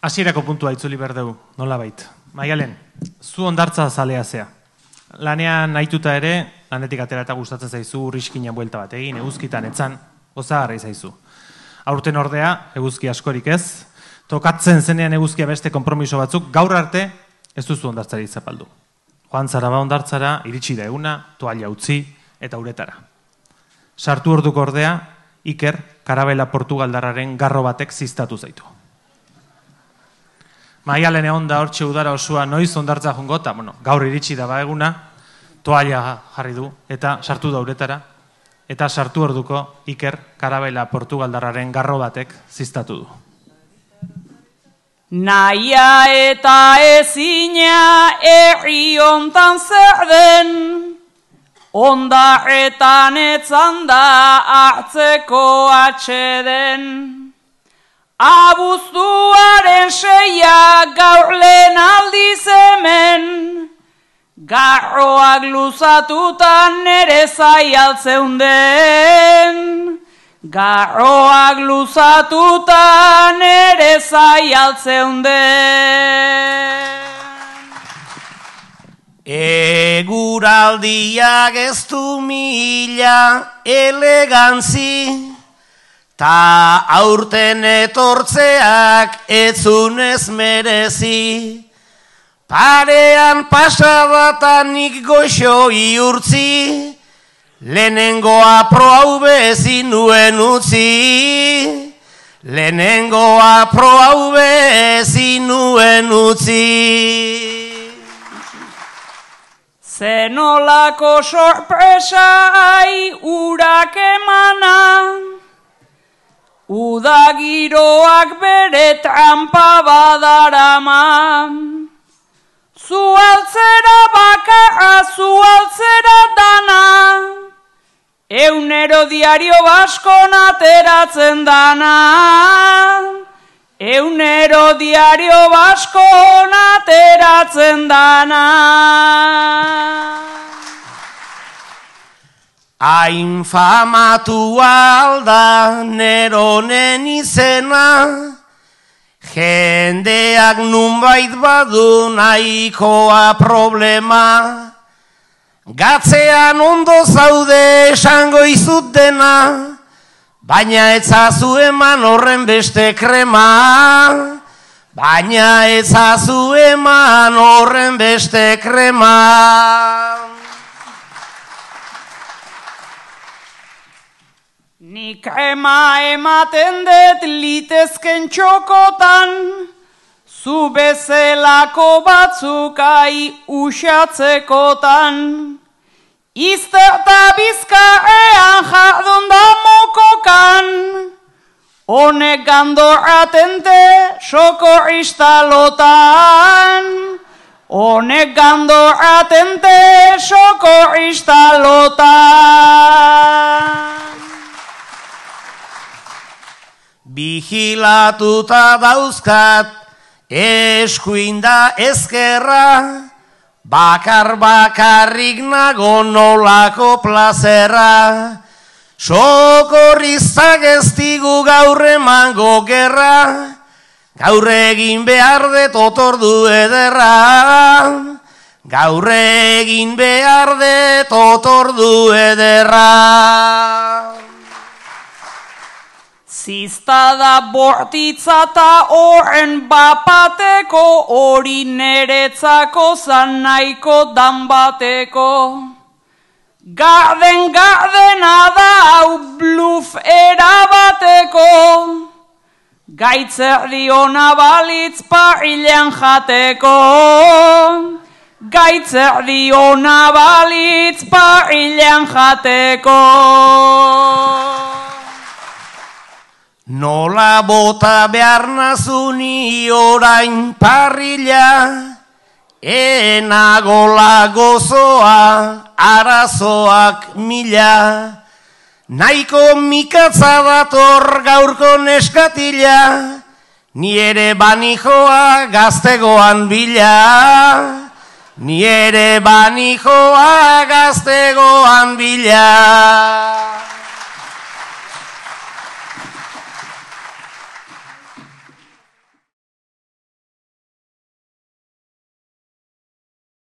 Hasierako puntua itzuli berdeu, nola bait. Maialen, zu hondartza zalea zea. Lanean nahituta ere, lanetik atera eta gustatzen zaizu urriskinan buelta bat egin, eguzkitan etzan, gozagarri zaizu. Aurten ordea, eguzki askorik ez, tokatzen zenean eguzkia beste konpromiso batzuk, gaur arte ez duzu hondartzari zapaldu. Joan zara ba hondartzara, iritsi da eguna, toalla utzi eta uretara. Sartu orduko ordea, Iker, karabela portugaldarraren garro batek ziztatu zaitu. Maialen egon da hortxe udara osoa noiz hondartza jungota, gaur iritsi da ba eguna, toalla jarri du eta sartu da uretara, eta sartu orduko Iker, karabela portugaldarraren garro batek ziztatu du. Naia eta ezina herri hontan zer den, ondarretan etzan da hartzeko atxeden. Abuztuaren 6 gaur lehen aldiz hemen, garroak luzatutan nere zaialtzeunden. Garroak luzatutan nere zaialtzeunden. Eguraldiak ez du mila elegantzi, ta aurten etortzeak etzunez merezi. Parean pasabatanik goxo iurtzi, lehenengoa prohau bezin nuen utzi. Lehenengoa prohau bezin nuen utzi. Zenolako sorpresai urak emana, uda giroak bere trampa badarama. Zualtzera bakarra, zualtzera dana, eunero diario baskon ateratzen dana. Eunero diario baskon ateratzen dana. Hain famatu alda neronen izena, jendeak nunbait badu nahikoa problema. Gatzean ondo zaude esango izut dena, baina etzazu eman horren beste krema. Baina etzazu eman horren beste krema. Nik krema ematen dut litezken txokotan, zu bezelako batzukai usatzekotan. Izterta bizkarrean jardun da mokokan, honek gandor atente sokor istalotan. Honek gandor atente sokor istalotan. Vigilatuta dauzkat eskuinda ezkerra, bakarrik nago nolako plazera. Sokorrizak ez digu gaur emango gerra, gaur egin behar dut otordu ederra. Gaur egin behar dut otordu ederra. Ziztada bortitza ta horren bapateko, hori neretzako zan nahiko dan bateko. Gardena da hau bluf erabateko, gaitzer ona balitz parrilean jateko. Gaitzer ona balitz parrilean jateko. Nola bota behar nazuni orain parrila, enagola gozoa, arazoak mila. Nahiko mikatza dator gaurko neskatila, ni ere banijoa gaztegoan bila. Ni ere banijoa gaztegoan bila.